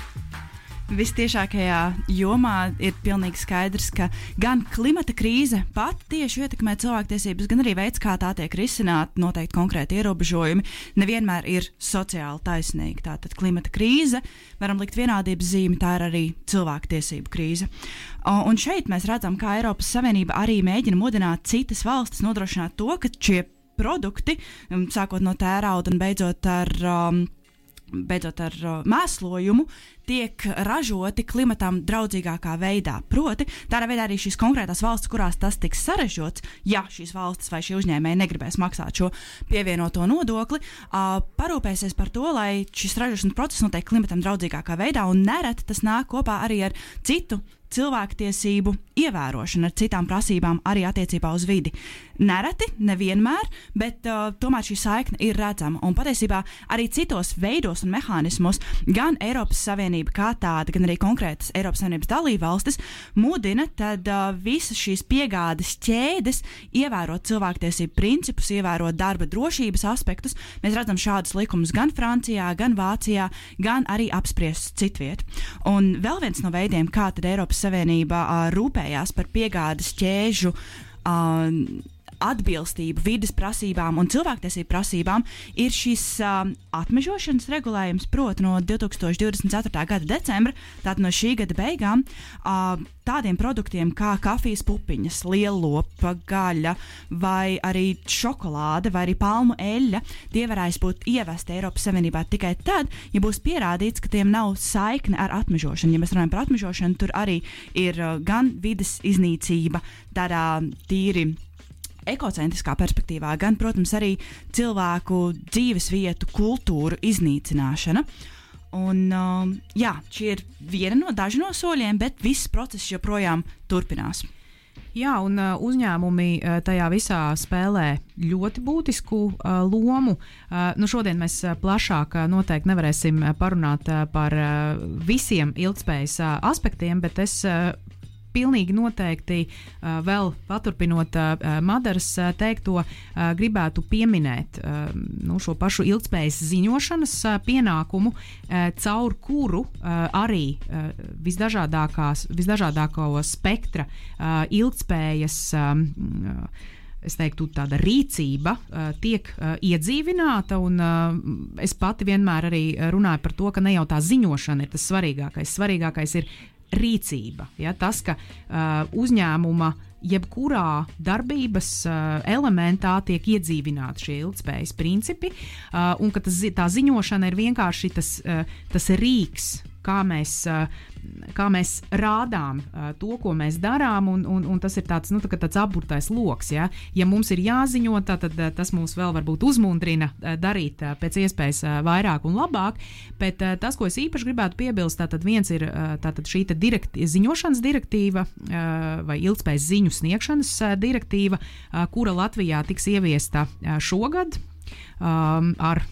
Vistiešākajā jomā ir pilnīgi skaidrs, ka gan klimata krīze pat tieši ietekmē cilvēktiesības, gan arī veids, kā tā tiek risināta, noteikti konkrēti ierobežojumi, nevienmēr ir sociāli taisnīgi. Tātad klimata krīze, varam likt vienādības zīmi, tā ir arī cilvēktiesību krīze. Un šeit mēs redzam, kā Eiropas Savienība arī mēģina mudināt citas valstis nodrošināt to, ka šie produkti, sākot no tērauda un beidzot ar um, beidzot ar uh, mēslojumu, tiek ražoti klimatam draudzīgākā veidā. Proti, tādā veidā arī šīs konkrētās valstis, kurās tas tiks sarežģīts, ja šīs valstis vai šie uzņēmēji negribēs maksāt šo pievienoto nodokli, uh, parūpēsies par to, lai šis ražošanas process notiek klimatam draudzīgākā veidā, un nereti tas nāk kopā arī ar citu cilvēktiesību ievērošanu, ar citām prasībām arī attiecībā uz vidi. Nereti, nevienmēr, bet uh, tomēr šī saikne ir redzama. Un patiesībā arī citos veidos un mehānismos gan Eiropas Savienība kā tāda, gan arī konkrētas Eiropas Savienības dalībvalstis mudina tad uh, visas šīs piegādes ķēdes ievērot cilvēktiesību principus, ievērot darba drošības aspektus. Mēs redzam šādus likumus gan Francijā, gan Vācijā, gan arī apspriestus citviet. Un vēl viens no veidiem, kā tad Eiropas Savienība uh, rūpējās par piegādes ķēžu uh, atbilstību vides prasībām un cilvēktiesību prasībām, ir šis uh, atmežošanas regulējums, proti no divtūkstoš divdesmit ceturtā gada decembra, tātad no šī gada beigām, uh, tādiem produktiem kā kafijas pupiņas, lielopa, gaļa vai arī šokolāde vai arī palmu eļļa, tie varēs būt ievesti Eiropas Savienībā tikai tad, ja būs pierādīts, ka tiem nav saikne ar atmežošanu. Ja mēs runājam par atmežošanu, tur arī ir uh, gan vides iznīcība, tādā tīri ekocentriskā perspektīvā, gan, protams, arī cilvēku dzīves vietu, kultūru iznīcināšana. Un, um, jā, šī ir viena no daži no soļiem, bet viss process joprojām turpinās. Jā, un uh, uzņēmumi uh, tajā visā spēlē ļoti būtisku uh, lomu. Uh, nu šodien mēs uh, plašāk uh, noteikti nevarēsim uh, parunāt uh, par uh, visiem ilgtspējas uh, aspektiem, bet es uh, pilnīgi noteikti uh, vēl paturpinot uh, Madaras uh, teikto, uh, gribētu pieminēt uh, nu, šo pašu ilgtspējas ziņošanas uh, pienākumu, uh, caur kuru uh, arī uh, visdažādākās, visdažādāko spektra uh, ilgtspējas um, uh, es teiktu, tāda rīcība uh, tiek uh, iedzīvināta, un uh, es pati vienmēr arī runāju par to, ka ne jau tā ziņošana ir tas svarīgākais. Svarīgākais ir rīcība. Ja? Tas, ka uh, uzņēmuma jebkurā darbības uh, elementā tiek iedzīvināti šie ilgtspējas principi, uh, un ka tas, tā ziņošana ir vienkārši tas, uh, tas rīks, kā mēs, kā mēs rādām to, ko mēs darām, un, un, un tas ir tāds, nu, tā tāds apburtais loks. Ja? Ja mums ir jāziņo, tā, tad tas mūs vēl varbūt uzmundrina darīt pēc iespējas vairāk un labāk, bet tas, ko es īpaši gribētu piebilst, tātad viens ir tātad šī direkti, ziņošanas direktīva vai ilgtspējas ziņu sniegšanas direktīva, kura Latvijā tiks ieviesta šogad, Um, ar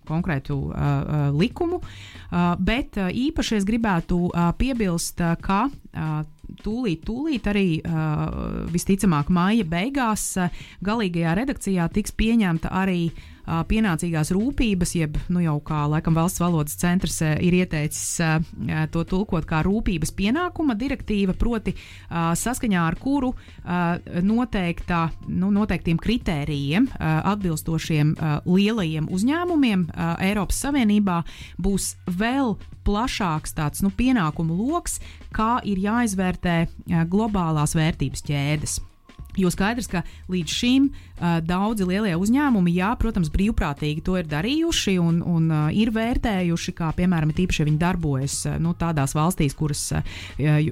konkrētu uh, uh, likumu, uh, bet uh, īpaši es gribētu uh, piebilst, uh, ka uh, tūlīt, tūlīt arī uh, visticamāk māja beigās uh, galīgajā redakcijā tiks pieņemta arī uh, pienācīgās rūpības, jeb nu jau kā laikam valsts valodas centrs uh, ir ieteicis uh, to tulkot kā rūpības pienākuma direktīva, proti uh, saskaņā ar kuru uh, noteiktā, nu, noteiktiem kritērijiem uh, atbilstošiem uh, lielajiem uzņēmumiem uh, Eiropas Savienībā būs vēl plašāks tāds nu, pienākumu loks, kā ir jāizvērtē uh, globālās vērtības ķēdes. Jo skaidrs, ka līdz šim uh, daudzi lielie uzņēmumi, jā, protams, brīvprātīgi to ir darījuši un, un uh, ir vērtējuši, kā piemēram tīpaši viņi darbojas uh, nu, tādās valstīs, kuras uh,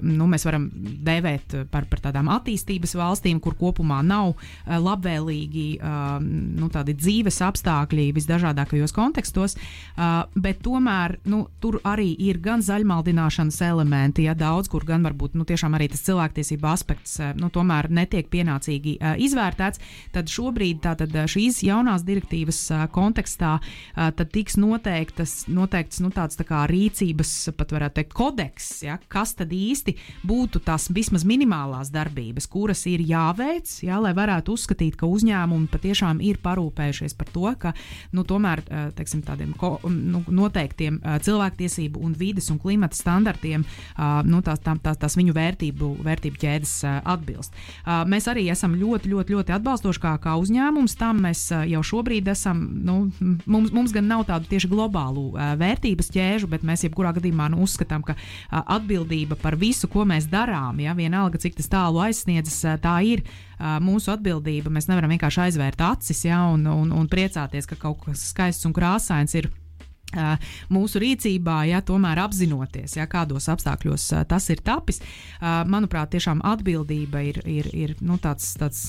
nu, mēs varam dēvēt par, par tādām attīstības valstīm, kur kopumā nav uh, labvēlīgi uh, nu, tādi dzīves apstākļi visdažādākajos kontekstos, uh, bet tomēr nu, tur arī ir gan zaļmaldināšanas elementi, ja daudz, kur gan varbūt nu, tiešām arī tas cilvēktiesība aspekts uh, nu, tomēr netiek pienācīgi Uh, izvērtēts, tad šobrīd tātad šīs jaunās direktīvas uh, kontekstā uh, tad tiks noteiktas, noteikts nu, tāds tā kā rīcības, pat varētu teikt, kodeks, ja, kas tad īsti būtu tās vismaz minimālās darbības, kuras ir jāveic, ja, lai varētu uzskatīt, ka uzņēmumi patiešām ir parūpējušies par to, ka nu, tomēr uh, teiksim, tādiem ko, nu, noteiktiem uh, cilvēktiesību un vides un klimata standartiem uh, nu, tās, tā, tās, tās viņu vērtību, vērtību ķēdes uh, atbilst. Uh, mēs arī esam ļoti, ļoti, ļoti atbalstoši kā, kā uzņēmums. Tam mēs jau šobrīd esam, nu, mums, mums gan nav tādu tieši globālu uh, vērtības ķēžu, bet mēs jebkurā gadījumā nu, uzskatām, ka uh, atbildība par visu, ko mēs darām, ja, vienalga, cik tas tālu aizsniedzas, uh, tā ir uh, mūsu atbildība. Mēs nevaram vienkārši aizvērt acis, ja, un, un, un priecāties, ka kaut kas skaists un krāsains ir Uh, mūsu rīcībā, ja tomēr apzinoties, ja kādos apstākļos uh, tas ir tapis, uh, manuprāt, tiešām atbildība ir, ir, ir nu, tāds, tāds,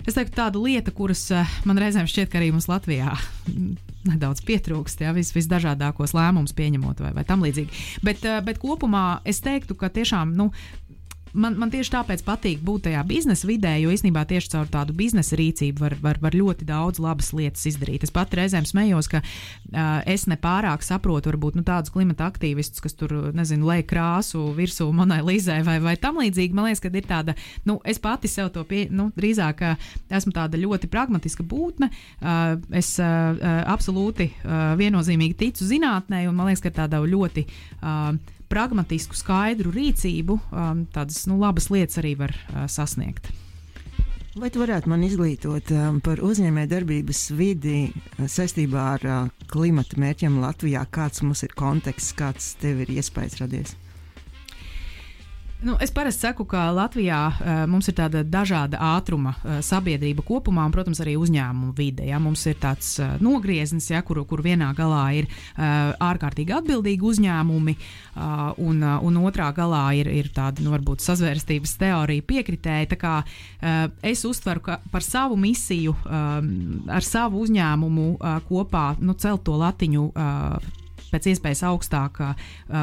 es teiktu, tāda lieta, kuras uh, man reizēm šķiet, ka arī mums Latvijā nedaudz pietrūkst, ja, vis, visdažādākos lēmumus pieņemot vai, vai tam līdzīgi. Bet, uh, bet kopumā es teiktu, ka tiešām, nu, Man, man tieši tāpēc patīk būt tajā biznesa vidē, jo īstenībā tieši caur tādu biznesa rīcību var, var, var ļoti daudz labas lietas izdarīt. Es pat reizēm smējos, ka uh, es nepārāk saprotu varbūt nu, tādus klimata aktīvistus, kas tur, nezinu, lej krāsu virsū Monai Līzai vai, vai tam līdzīgi. Man liekas, ka ir tāda, nu, es pati sev to pie, nu, drīzāk esmu tāda ļoti pragmatiska būtne. Uh, es uh, absolūti uh, viennozīmīgi ticu zinātnē, un man liekas, ka tāda ļoti uh, pragmatisku, skaidru rīcību, um, tādas nu, labas lietas arī var uh, sasniegt. Vai tu varētu man izglītot um, par uzņēmējdarbības vidi uh, saistībā ar uh, klimata mērķiem Latvijā? Kāds mums ir konteksts, kāds tev ir iespējas radies? Nu, es parasti saku, ka Latvijā uh, mums ir tāda dažāda ātruma uh, sabiedrība kopumā un, protams, arī uzņēmumu vide. Ja? Mums ir tāds uh, nogrieznis, ja, kur, kur vienā galā ir uh, ārkārtīgi atbildīgi uzņēmumi uh, un, uh, un otrā galā ir, ir tāda, nu, varbūt sazvērstības teorija piekritēja. Tā kā uh, es uztveru, ka par savu misiju um, ar savu uzņēmumu uh, kopā nu, celt to latiņu uh, pēc iespējas augstāk uh,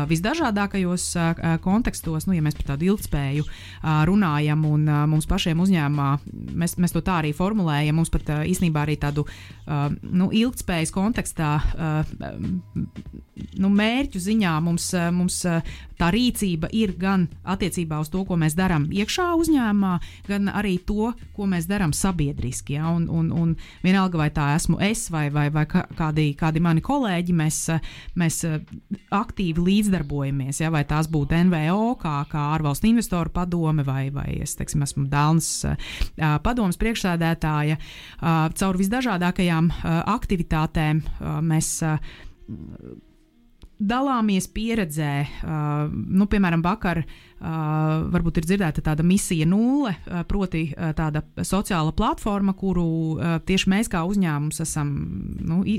visdažādākajos uh, kontekstos, nu, ja mēs par tādu ilgtspēju uh, runājam un uh, mums pašiem uzņēmumā, mēs, mēs to tā arī formulējam, mums pat uh, īstenībā arī tādu uh, nu, ilgtspējas kontekstā uh, nu, mērķu ziņā mums, uh, mums uh, tā rīcība ir gan attiecībā uz to, ko mēs darām iekšā uzņēmumā, gan arī to, ko mēs darām sabiedriski. Ja? Un, un, un vienalga, vai tā esmu es vai, vai, vai kādi, kādi mani kolēģi, mēs, mēs aktīvi līdzdarbojamies, ja? Vai tās būtu N V O, kā, kā ārvalstu investoru padome, vai, vai es teiksim, esmu Dālnas padomes priekšsēdētāja. Caur visdažādākajām aktivitātēm mēs dalāmies pieredzē, uh, nu, piemēram, vakar uh, varbūt ir dzirdēta tāda misija nulle, uh, proti uh, tāda sociāla platforma, kuru uh, tieši mēs kā uzņēmums esam nu, i,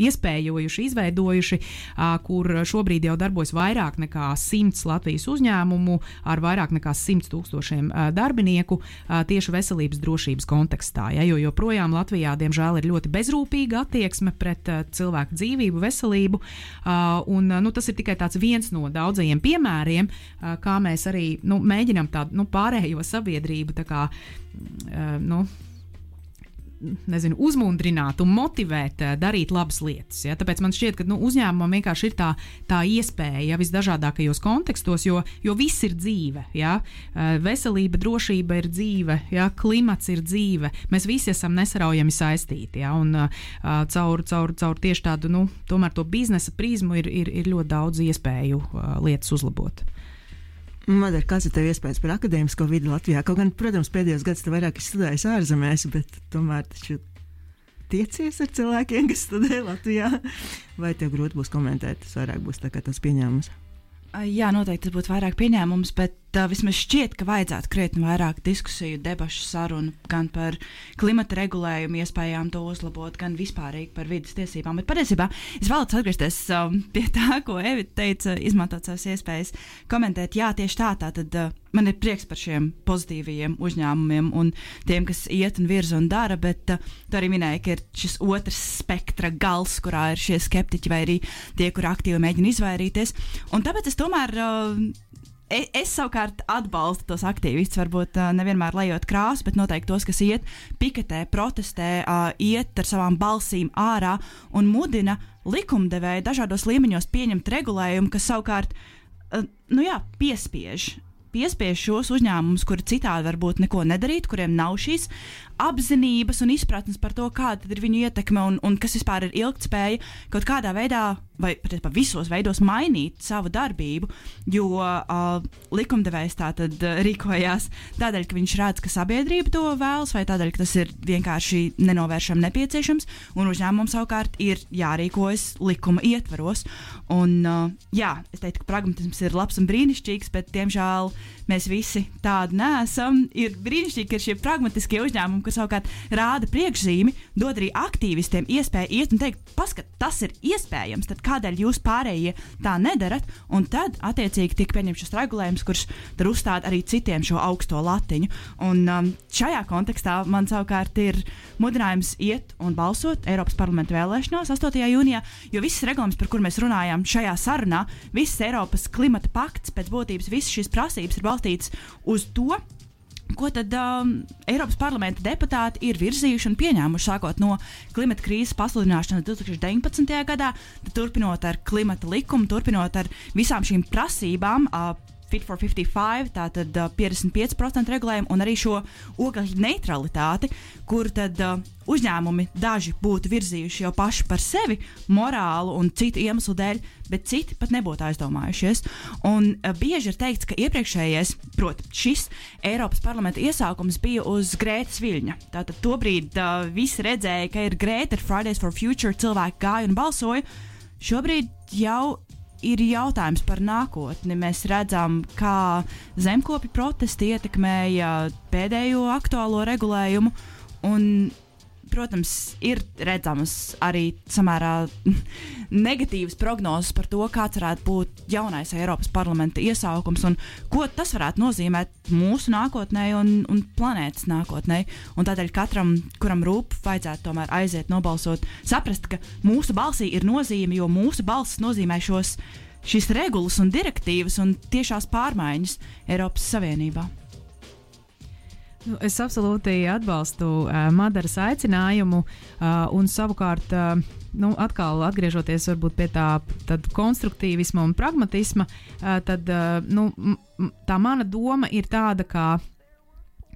iespējojuši, izveidojuši, uh, kur šobrīd jau darbojas vairāk nekā simts Latvijas uzņēmumu ar vairāk nekā simts tūkstošiem uh, darbinieku uh, tieši veselības drošības kontekstā. Ja, jo joprojām Latvijā, diemžēl, ir ļoti bezrūpīga attieksme pret uh, cilvēku dzīvību, veselību. Uh, un, nu, tas ir tikai tāds viens no daudzajiem piemēriem, uh, kā mēs arī nu, mēģinām tādu nu, pārējo sabiedrību tā kā, uh, nu, nezinu, uzmundrināt un motivēt uh, darīt labas lietas. Ja? Tāpēc man šķiet, ka nu, uzņēmumam vienkārši ir tā, tā iespēja ja, visdažādākajos kontekstos, jo, jo viss ir dzīve. Ja? Uh, veselība, drošība ir dzīve, ja? Klimats ir dzīve. Mēs visi esam nesaraujami saistīti. Ja? Un uh, caur, caur, caur tieši tādu, nu, tomēr to biznesa prizmu ir, ir, ir ļoti daudz iespēju uh, lietas uzlabot. Madara, kāds ir tev iespējas par akadēmisko vidi Latvijā? Kaut gan, protams, pēdējos gads tu vairāk studējis ārzemēs, bet tomēr taču tiecies ar cilvēkiem, kas studē Latvijā. Vai tev grūti būs komentēt? Tas vairāk būs tā kā tas pieņēmums. Jā, noteikti tas būtu vairāk pieņēmums, bet uh, vismaz šķiet, ka vajadzētu krietni vairāk diskusiju, debašu, sarunu gan par klimata regulējumu, iespējām to uzlabot, gan vispārīgi par vidas tiesībām. Bet patiesībā es vēlos atgriezties um, pie tā, ko Evita teica, izmantot savas iespējas komentēt. Jā, tieši tā, tā tad uh, man ir prieks par šiem pozitīvajiem uzņēmumiem un tiem, kas iet un virza un dara, bet uh, tu arī minēji, ka ir šis otrs spektra gals, kurā ir šie skeptiķi vai arī tie, kur aktīvi mēģina izvairīties. Un tāpēc es tomēr uh, es, es savukārt atbalstu tos aktīvistus, varbūt uh, nevienmēr lejot krāsu, bet noteikti tos, kas iet piketē, protestē, uh, iet ar savām balsīm ārā un mudina likumdevēju dažādos līmeņos pieņemt regulējumu, kas savukārt uh, nu jā, piespiež. piespiež šos uzņēmumus, kuri citādi varbūt neko nedarīt, kuriem nav šīs apzinības un izpratnes par to, kāda ir viņu ietekme un, un kas vispār ir ilgtspēja, kaut kādā veidā vai pat visos veidos mainīt savu darbību, jo uh, likumdevējs tātad uh, rīkojās tādēļ, ka viņš redz, ka sabiedrība to vēlas, vai tādēļ, ka tas ir vienkārši nenovēršam nepieciešams, un uzņēmumam savukārt ir jārīkojas likuma ietvaros. Un, uh, jā, es teiktu, ka pragmatisms ir labs un brīnišķīgs, bet, diemžēl, mēs visi tādi neesam. Ir brīnišķīgi, ka ir šie pragmatiskie uzņēmumi, kas savukārt rāda priekšzīmi, dod arī aktīvistiem iespēju iet un teikt, paskat, tas ir iespējams, tad kādēļ jūs pārējie tā nedarat, un tad attiecīgi tiek pieņemts šis regulējums, kurš tad uzstāda arī citiem šo augsto latiņu. Un um, šajā kontekstā man savukārt ir mudinājums iet un balsot Eiropas parlamenta vēlēšanās astotajā jūnijā, jo viss regulējums, par kur mēs runājam šajā sarunā, viss Eiropas klimata pakts, pēc būtības visas šīs prasības ir balstītas uz to, ko tad um, Eiropas parlamenta deputāti ir virzījuši un pieņēmuši sākot no klimata krīzes pasludināšanas divtūkstoš deviņpadsmitajā gadā, turpinot ar klimata likumu, turpinot ar visām šīm prasībām, uh, Fit for fifty-five, tātad uh, piecdesmit pieci procenti regulējumu un arī šo ogļu neutralitāti, kur tad uh, uzņēmumi daži būtu virzījuši jau paši par sevi morālu un citu iemeslu dēļ, bet citi pat nebūtu aizdomājušies. Un uh, bieži ir teikts, ka iepriekšējais, proti šis Eiropas parlamenta iesākums bija uz Grētas viļņa. Tātad tobrīd uh, visi redzēja, ka ir Grēta, ir Fridays for Future, cilvēki gāja un balsoja. Šobrīd jau ir jautājums par nākotni. Mēs redzam, kā zemkopju protesti ietekmēja pēdējo aktuālo regulējumu, un protams, ir redzamas arī samērā negatīvas prognozes par to, kāds varētu būt jaunais Eiropas parlamenta iesaukums un ko tas varētu nozīmēt mūsu nākotnē un, un planētas nākotnē. Un tādēļ katram, kuram rūp, vajadzētu tomēr aiziet nobalsot, saprast, ka mūsu balsī ir nozīme, jo mūsu balss nozīmē šos, šīs regulas un direktīvas un tiešās pārmaiņas Eiropas Savienībā. Nu, es absolūti atbalstu uh, Madaras aicinājumu uh, un savukārt, uh, nu, atkal atgriežoties varbūt pie tā konstruktīvisma un pragmatisma, uh, tad uh, nu, m- tā mana doma ir tāda, ka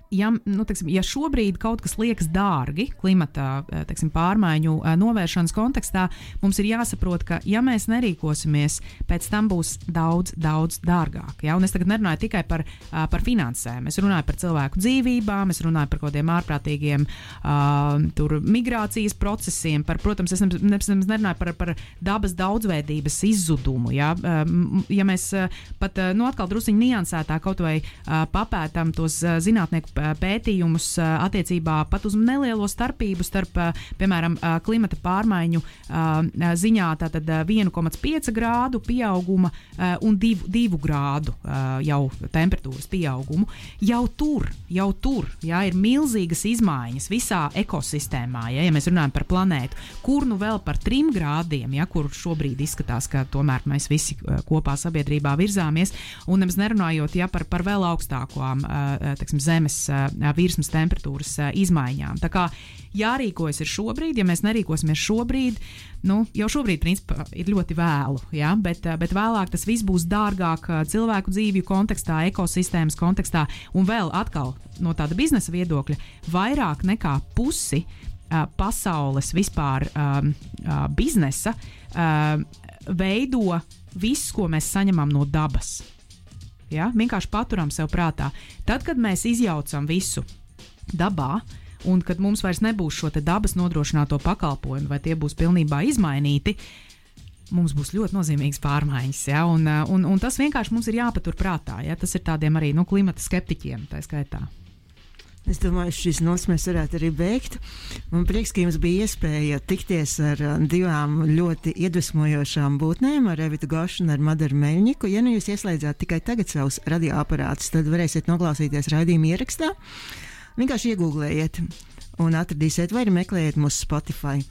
Ja, nu, teiksim, ja šobrīd kaut kas liekas dārgi klimata teiksim, pārmaiņu novēršanas kontekstā, mums ir jāsaprot, ka ja mēs nerīkosimies, pēc tam būs daudz, daudz dārgāk. Ja? Un es tagad nerunāju tikai par, par finansēm, es runāju par cilvēku dzīvībām, es runāju par kaut kādiem ārprātīgiem uh, tur, migrācijas procesiem, par, protams, es nerunāju par, par dabas daudzveidības izzudumu. Ja, ja mēs pat nu, atkal drusiņi niansētā kaut vai uh, papētam tos uh, zinātnieku pētījumus attiecībā pat uz nelielo starpību starp, piemēram, klimata pārmaiņu ziņā tātad viena komats pieci grādu pieauguma un divu grādu jau temperatūras pieaugumu. Jau tur, jau tur, jā, ir milzīgas izmaiņas visā ekosistēmā, ja, ja mēs runājam par planētu, kur nu vēl par trim grādiem, ja, kur šobrīd izskatās, ka tomēr mēs visi kopā sabiedrībā virzāmies, un nemaz nerunājot, ja, par, par vēl augstākām, teiksim, zemes virsmas temperatūras izmaiņām. Tā kā jārīkojas ir šobrīd, ja mēs nerīkosimies šobrīd, nu, jau šobrīd, principā, ir ļoti vēlu, ja? bet, bet vēlāk tas viss būs dārgāk cilvēku dzīvju kontekstā, ekosistēmas kontekstā, un vēl atkal no tāda biznesa viedokļa vairāk nekā pusi uh, pasaules vispār um, uh, biznesa uh, veido viss, ko mēs saņemam no dabas. Ja? Vienkārši paturam sev prātā. Tad, kad mēs izjaucam visu dabā, un kad mums vairs nebūs šo te dabas nodrošināto pakalpojumu, vai tie būs pilnībā izmainīti, mums būs ļoti nozīmīgas pārmaiņas. Ja? Un, un, un tas vienkārši mums ir jāpatur prātā. Ja? Tas ir tādiem arī nu, klimata skeptiķiem, tā skaitā. Es domāju, šīs nots mēs varētu arī beigt. Man prieks, ka jums bija iespēja tikties ar divām ļoti iedvesmojošām būtnēm, ar Evitu Gošu un ar Madaru Meļņiku. Ja nu jūs ieslēdzāt tikai tagad savus radioaparātus, tad varēsiet noklausīties raidījuma ierakstā. Vienkārši iegūglējiet un atradīsiet vai arī meklējiet mūsu Spotify.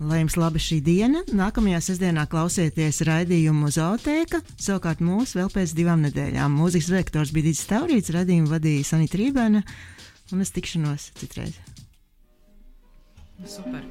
Lai jums laba šī diena. Nākamajā sestdienā klausieties raidījumu Zootēka, savukārt mūs vēl pēc divām nedēļām. Mūzikas redaktors bija Dīdzis Taurīts, raidījumu vadīja Sanita Rībēna. Un es tikšanos citreiz. Super.